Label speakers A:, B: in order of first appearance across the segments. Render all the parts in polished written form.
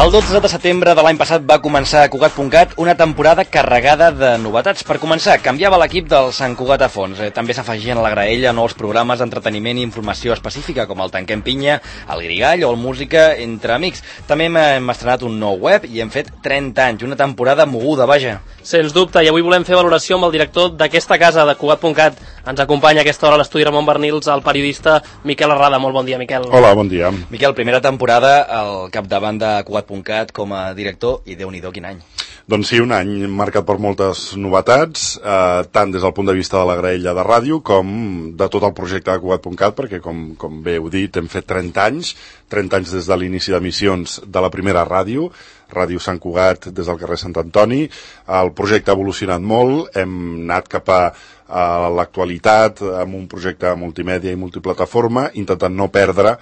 A: El 12 de setembre de l'any passat va començar a Cugat.cat una temporada carregada de novetats. Per començar, canviava l'equip del Sant Cugat a fons. També s'afegien a la graella nous programes d'entreteniment i informació específica, com el Tanquem Pinya, el Grigall o el Música entre amics. També hem estrenat un nou web i hem fet 30 anys, una temporada moguda, vaja.
B: Sens dubte, i avui volem fer valoració amb el director d'aquesta casa, de Cugat.cat. Ens acompanya a aquesta hora a l'estudi Ramon Bernils, el periodista Miquel Arrada. Molt bon dia, Miquel.
C: Hola, bon dia.
A: Miquel, primera temporada al capdavant de Cugat.cat com a director, i Déu-n'hi-do, quin any.
C: Doncs sí, un any marcat per moltes novetats, tant des del punt de vista de la graella de ràdio com de tot el projecte de Cugat.cat, perquè, com bé heu dit, hem fet 30 anys des de l'inici d'emissions de la primera ràdio, Ràdio Sant Cugat, des del carrer Sant Antoni. El projecte ha evolucionat molt, hem anat cap a l'actualitat amb un projecte multimèdia i multiplataforma, intentant no perdre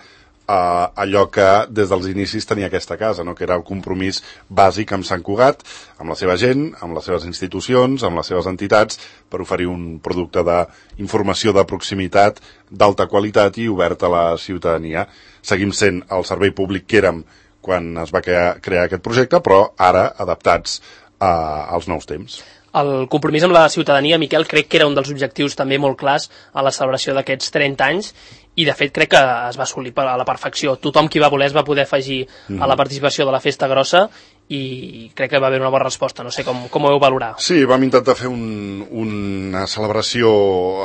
C: allò que des dels inicis tenia aquesta casa, no? Que era el compromís bàsic amb Sant Cugat, amb la seva gent, amb les seves institucions, amb les seves entitats, per oferir un producte d'informació de proximitat, d'alta qualitat i obert a la ciutadania. Seguim sent el servei públic que érem quan es va crear aquest projecte, però ara adaptats als nous temps.
B: El compromís amb la ciutadania, Miquel, crec que era un dels objectius també molt clars a la celebració d'aquests 30 anys, i de fet crec que es va assolir a la perfecció. Tothom qui va voler es va poder afegir a la participació de la festa grossa i crec que va haver una bona resposta. No sé com ho heu valorat.
C: Sí, vam intentar fer una celebració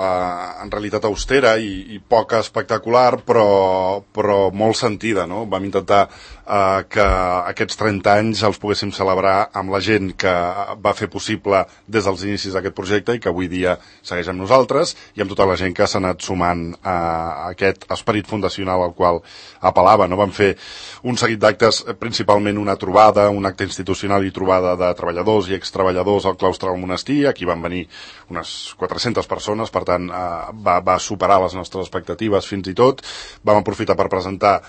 C: en realitat austera i poc espectacular, però molt sentida, no? Vam intentar que aquests 30 anys els poguéssim celebrar amb la gent que va fer possible des dels inicis d'aquest projecte i que avui dia segueix amb nosaltres, i amb tota la gent que s'ha anat sumant a aquest esperit fundacional al qual apel·lava, no? Vam fer un seguit d'actes, principalment una trobada, un acte institucional i trobada de treballadors i extreballadors al claustre del monestir. Aquí van venir unes 400 persones, per tant va superar les nostres expectatives fins i tot. Vam aprofitar per presentar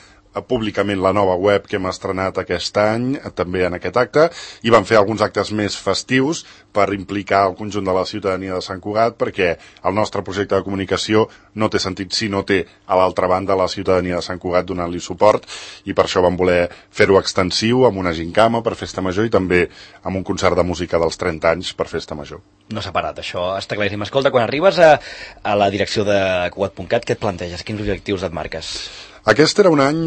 C: públicament la nova web que hem estrenat aquest any, també en aquest acte, i vam fer alguns actes més festius per implicar el conjunt de la ciutadania de Sant Cugat, perquè el nostre projecte de comunicació no té sentit si no té a l'altra banda la ciutadania de Sant Cugat donant-li suport, i per això vam voler fer-ho extensiu amb una gincama per Festa Major i també amb un concert de música dels 30 anys per Festa Major.
A: No s'ha parat, això està claríssim. Escolta, quan arribes a la direcció de Cugat.cat, què et planteges? Quins objectius et marques?
C: Aquest era un any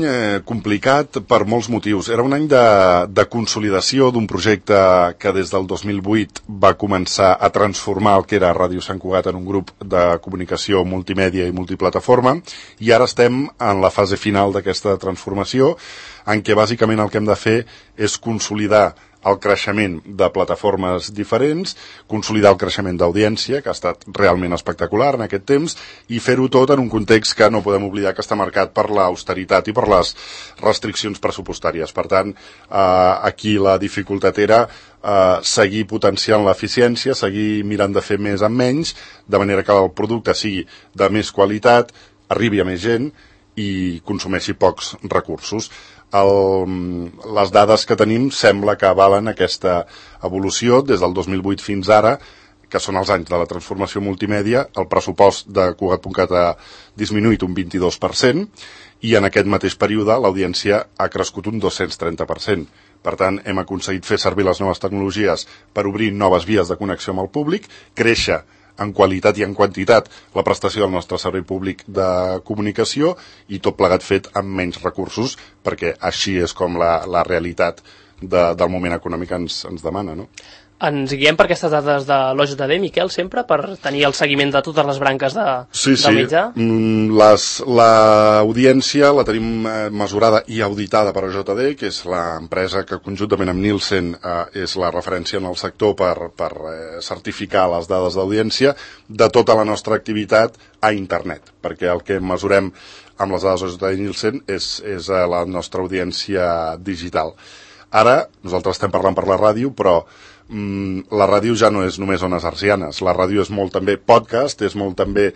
C: complicat per molts motius. Era un any de consolidació d'un projecte que des del 2008 va començar a transformar el que era Ràdio Sant Cugat en un grup de comunicació multimèdia i multiplataforma, i ara estem en la fase final d'aquesta transformació, en què bàsicament el que hem de fer és consolidar el creixement de plataformes diferents, consolidar el creixement d'audiència, que ha estat realment espectacular en aquest temps, i fer-ho tot en un context que no podem oblidar que està marcat per l'austeritat i per les restriccions pressupostàries. Per tant, aquí la dificultat era seguir potenciant l'eficiència, seguir mirant de fer més amb menys, de manera que el producte sigui de més qualitat, arribi a més gent i consumeixi pocs recursos. Les dades que tenim sembla que avalen aquesta evolució des del 2008 fins ara, que són els anys de la transformació multimèdia. El pressupost de Cugat.cat ha disminuït un 22% i en aquest mateix període l'audiència ha crescut un 230%. Per tant, hem aconseguit fer servir les noves tecnologies per obrir noves vies de connexió amb el públic, créixer en qualitat i en quantitat la prestació del nostre servei públic de comunicació, i tot plegat fet amb menys recursos, perquè així és com la realitat del moment econòmic ens demana, no?
B: Ens guiem per aquestes dades de l'OJD, Miquel, sempre, per tenir el seguiment de totes les branques del mitjà?
C: Sí. L'audiència la tenim mesurada i auditada per OJD, que és l'empresa que conjuntament amb Nielsen és la referència en el sector per certificar les dades d'audiència de tota la nostra activitat a internet, perquè el que mesurem amb les dades OJD i Nielsen és la nostra audiència digital. Ara, nosaltres estem parlant per la ràdio, però la ràdio ja no és només ones hertzianes. La ràdio és molt també podcast, és molt també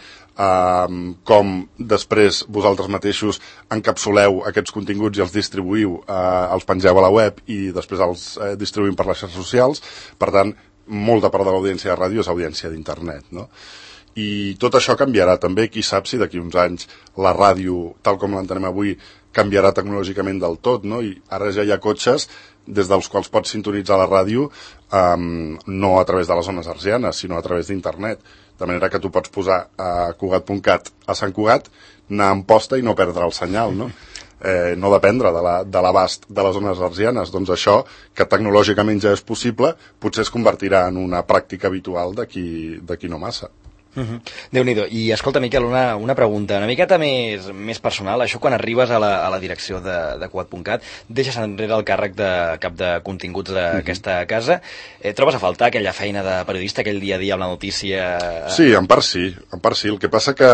C: com després vosaltres mateixos encapsuleu aquests continguts i els distribuïu, els pengeu a la web i després els distribuïm per les xarxes socials. Per tant, molta part de l'audiència de ràdio és audiència d'internet, no? I tot això canviarà també. Qui sap si d'aquí uns anys la ràdio, tal com l'entenem avui, canviarà tecnològicament del tot, no? I ara ja hi ha cotxes des dels quals pots sintonitzar la ràdio no a través de les zones hertzianes, sinó a través d'internet. De manera que tu pots posar a Cugat.cat a Sant Cugat, anar en posta i no perdre el senyal, no? No dependre de l'abast de les zones hertzianes. Doncs això, que tecnològicament ja és possible, potser es convertirà en una pràctica habitual d'aquí no massa.
A: Déu-n'hi-do. I escolta, Miquel, una pregunta una miqueta més personal. Això, quan arribes a la direcció de Cugat.cat, deixes enrere el càrrec de cap de continguts d'aquesta casa. Trobes a faltar aquella feina de periodista, aquell dia a dia amb la notícia?
C: Sí, en part sí. El que passa que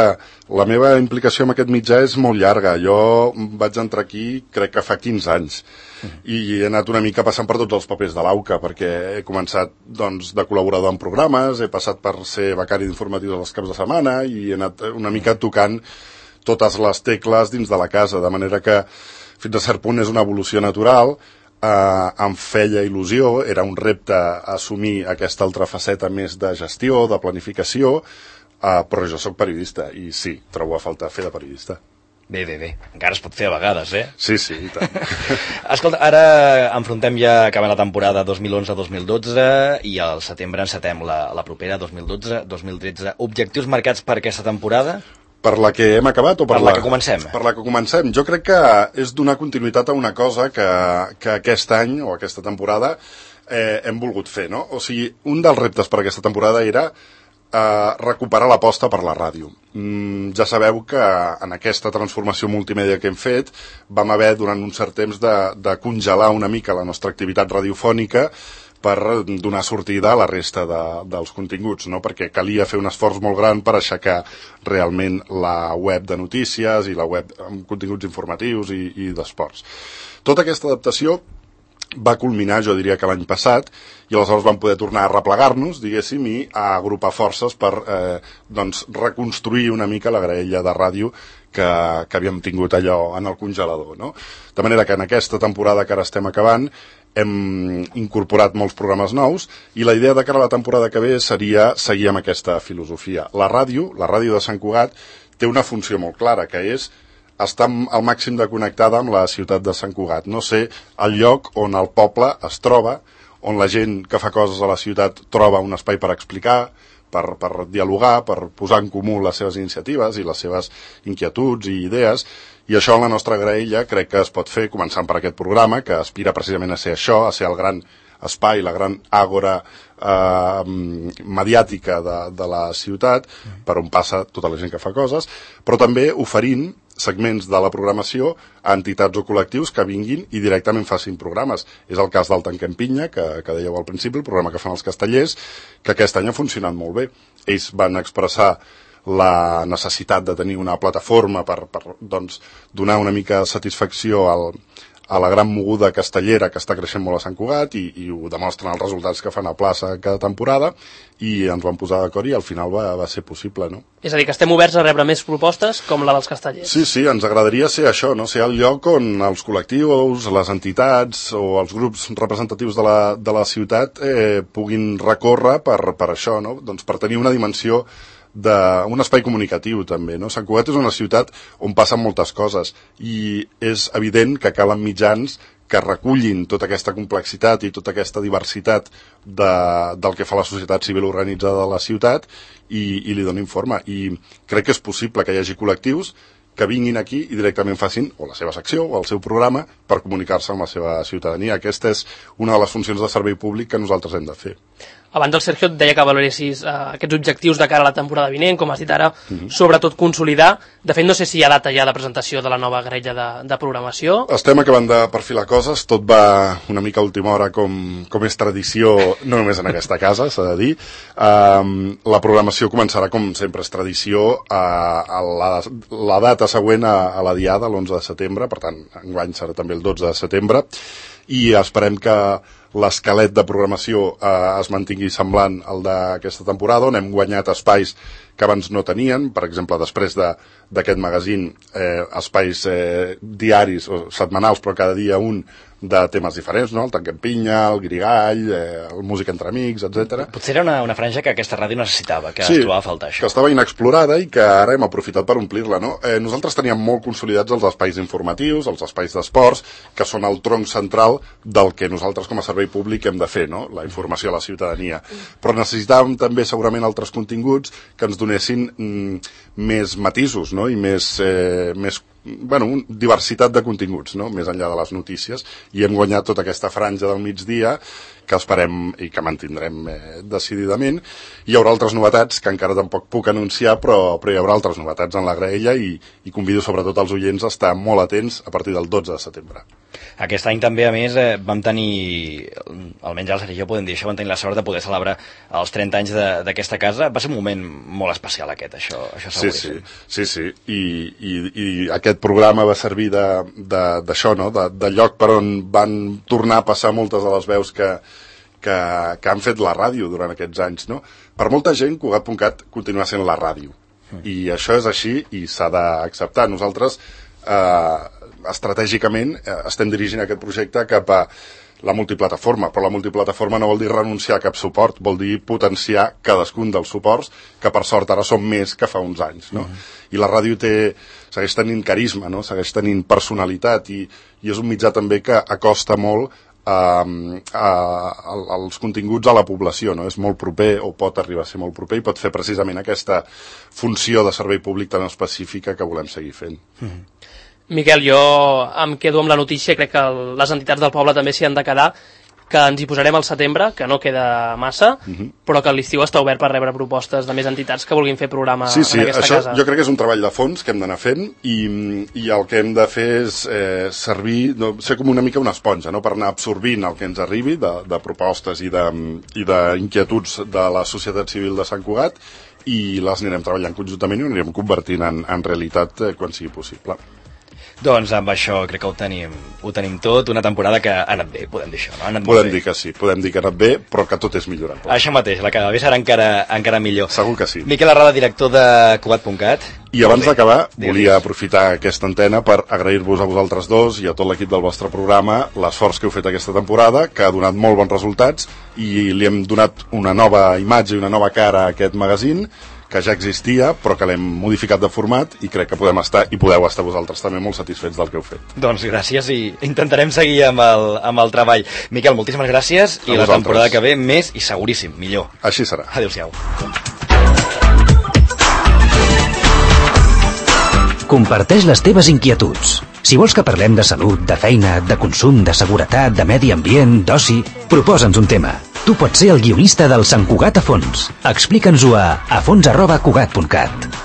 C: la meva implicació amb aquest mitjà és molt llarga. Jo vaig entrar aquí, crec que fa 15 anys. I he anat una mica passant per tots els papers de l'AUCA, perquè he començat de col·laborador en programes, he passat per ser becari d'informatius als caps de setmana i he anat una mica tocant totes les tecles dins de la casa, de manera que fins a cert punt és una evolució natural. Em feia il·lusió, era un repte assumir aquesta altra faceta més de gestió, de planificació, però jo sóc periodista i sí, trobo a faltar fer de periodista.
A: Bé. Encara es pot fer a vegades, eh?
C: Sí, i tant.
A: Escolta, ara enfrontem ja, acabant la temporada 2011-2012 i al setembre encetem la propera 2012-2013. Objectius marcats per aquesta temporada?
C: Per la que hem acabat o
A: per la que comencem?
C: Per la que comencem. Jo crec que és donar continuïtat a una cosa que aquest any o aquesta temporada hem volgut fer, no? O sigui, un dels reptes per aquesta temporada era recuperar l'aposta per la ràdio. Ja sabeu que en aquesta transformació multimèdia que hem fet vam haver durant un cert temps de congelar una mica la nostra activitat radiofònica per donar sortida a la resta dels continguts, no? Perquè calia fer un esforç molt gran per aixecar realment la web de notícies i la web amb continguts informatius i d'esports. Tota aquesta adaptació va culminar, jo diria que l'any passat, i aleshores vam poder tornar a replegar-nos, diguéssim, i a agrupar forces per reconstruir una mica la graella de ràdio que havíem tingut allò en el congelador, no? De manera que en aquesta temporada que ara estem acabant hem incorporat molts programes nous i la idea de cara a la temporada que ve seria seguir amb aquesta filosofia. La ràdio de Sant Cugat, té una funció molt clara, que és estar al màxim de connectada amb la ciutat de Sant Cugat, no ser el lloc on el poble es troba, on la gent que fa coses a la ciutat troba un espai per explicar, per dialogar, per posar en comú les seves iniciatives i les seves inquietuds i idees, i això en la nostra graella crec que es pot fer començant per aquest programa, que aspira precisament a ser això, a ser el gran espai, la gran àgora mediàtica de la ciutat, per on passa tota la gent que fa coses, però també oferint segments de la programació a entitats o col·lectius que vinguin i directament facin programes. És el cas del Tanquem Pinya, que dèieu al principi, el programa que fan els castellers, que aquest any ha funcionat molt bé. Ells van expressar la necessitat de tenir una plataforma per donar una mica de satisfacció a la gran moguda castellera que està creixent molt a Sant Cugat i ho demostren els resultats que fan a plaça cada temporada i ens vam posar d'acord i al final va ser possible, no?
B: És a dir, que estem oberts a rebre més propostes com la dels castellers.
C: Sí, ens agradaria ser això, no? Ser el lloc on els col·lectius, les entitats o els grups representatius de la ciutat puguin recórrer per això, no? Doncs per tenir una dimensió d'un espai comunicatiu també, no? Sant Cugat és una ciutat on passen moltes coses i és evident que calen mitjans que recullin tota aquesta complexitat i tota aquesta diversitat del que fa la societat civil organitzada de la ciutat i li donin forma. I crec que és possible que hi hagi col·lectius que vinguin aquí i directament facin o la seva secció o el seu programa per comunicar-se amb la seva ciutadania. Aquesta és una de les funcions de servei públic que nosaltres hem de fer.
B: Abans el Sergio et deia que valoressis aquests objectius de cara a la temporada vinent, com has dit ara, sobretot consolidar. De fet, no sé si hi ha data ja de presentació de la nova graella de programació.
C: Estem acabant de perfilar coses, tot va una mica a última hora com és tradició, no només en aquesta casa, s'ha de dir. La programació començarà, com sempre és tradició, a la data següent a la diada, l'11 de setembre, per tant, enguany serà també el 12 de setembre, i esperem que l'esquelet de programació es mantingui semblant al d'aquesta temporada, on hem guanyat espais que abans no tenien, per exemple, després d'aquest magazín, espais diaris o setmanals, però cada dia un, de temes diferents, no? El Tanquem Pinya, el Grigall, el Música entre amics, etc.
A: Potser era una franja que aquesta ràdio necessitava, que es trobava a faltar això.
C: Que estava inexplorada i que ara hem aprofitat per omplir-la, no? Nosaltres teníem molt consolidats els espais informatius, els espais d'esports, que són el tronc central del que nosaltres com a servei públic hem de fer, no? La informació a la ciutadania. Però necessitàvem també segurament altres continguts que ens donessin més matisos, no? I més diversitat de continguts, no? Més enllà de les notícies, i hem guanyat tota aquesta franja del migdia que esperem i que mantindrem decididament. Hi haurà altres novetats que encara tampoc puc anunciar, però hi haurà altres novetats en la graella i convido sobretot els oients a estar molt atents a partir del 12 de setembre.
A: Aquest any també, a més, vam tenir, almenys el Sergi i jo podem dir això, vam tenir la sort de poder celebrar els 30 anys d'aquesta casa. Va ser un moment molt especial aquest, això seguríssim.
C: Sí. I aquest programa va servir d'això, no? De lloc per on van tornar a passar moltes de les veus que han fet la ràdio durant aquests anys, no? Per molta gent, Cugat.cat continua sent la ràdio. I això és així i s'ha d'acceptar. Nosaltres, estratègicament, estem dirigint aquest projecte cap a la multiplataforma, però la multiplataforma no vol dir renunciar a cap suport, vol dir potenciar cadascun dels suports, que per sort ara són més que fa uns anys, no? I la ràdio segueix tenint carisma, no? Segueix tenint personalitat i és un mitjà també que acosta molt els continguts a la població, no? És molt proper o pot arribar a ser molt proper i pot fer precisament aquesta funció de servei públic tan específica que volem seguir fent.
B: Miquel, jo em quedo amb la notícia, crec que les entitats del poble també s'hi han de quedar, que ens hi posarem al setembre, que no queda massa, però que l'estiu està obert per rebre propostes de més entitats que vulguin fer programa en aquesta casa.
C: Jo crec que és un treball de fons que hem d'anar fent i el que hem de fer és ser com una mica una esponja, no? Per anar absorbint el que ens arribi de propostes i d'inquietuds de la societat civil de Sant Cugat i les anirem treballant conjuntament i ho anirem convertint en realitat quan sigui possible.
A: Doncs amb això crec que ho tenim tot, una temporada que ha anat bé, podem dir això, no?
C: Podem dir que sí, podem dir que ha anat bé, però que tot és millorable.
A: Això mateix, la que ve serà encara millor.
C: Segur que sí.
A: Miquel Arrada, director de Cugat.cat.
C: I abans d'acabar, volia aprofitar aquesta antena per agrair-vos a vosaltres dos i a tot l'equip del vostre programa l'esforç que heu fet aquesta temporada, que ha donat molt bons resultats i li hem donat una nova imatge i una nova cara a aquest magazín, que ja existia, però que l'hem modificat de format i crec que podeu estar vosaltres també molt satisfets del que heu fet.
A: Doncs gràcies i intentarem seguir amb el treball. Miquel, moltíssimes gràcies i la temporada que ve més i seguríssim, millor.
C: Així serà.
A: Adéu-siau.
D: Comparteix les teves inquietuds. Si vols que parlem de salut, de feina, de consum, de seguretat, de medi ambient, d'oci, proposa'ns un tema. Tu pots ser el guionista del Sant Cugat a fons. Explica'ns-ho a fons@cugat.cat.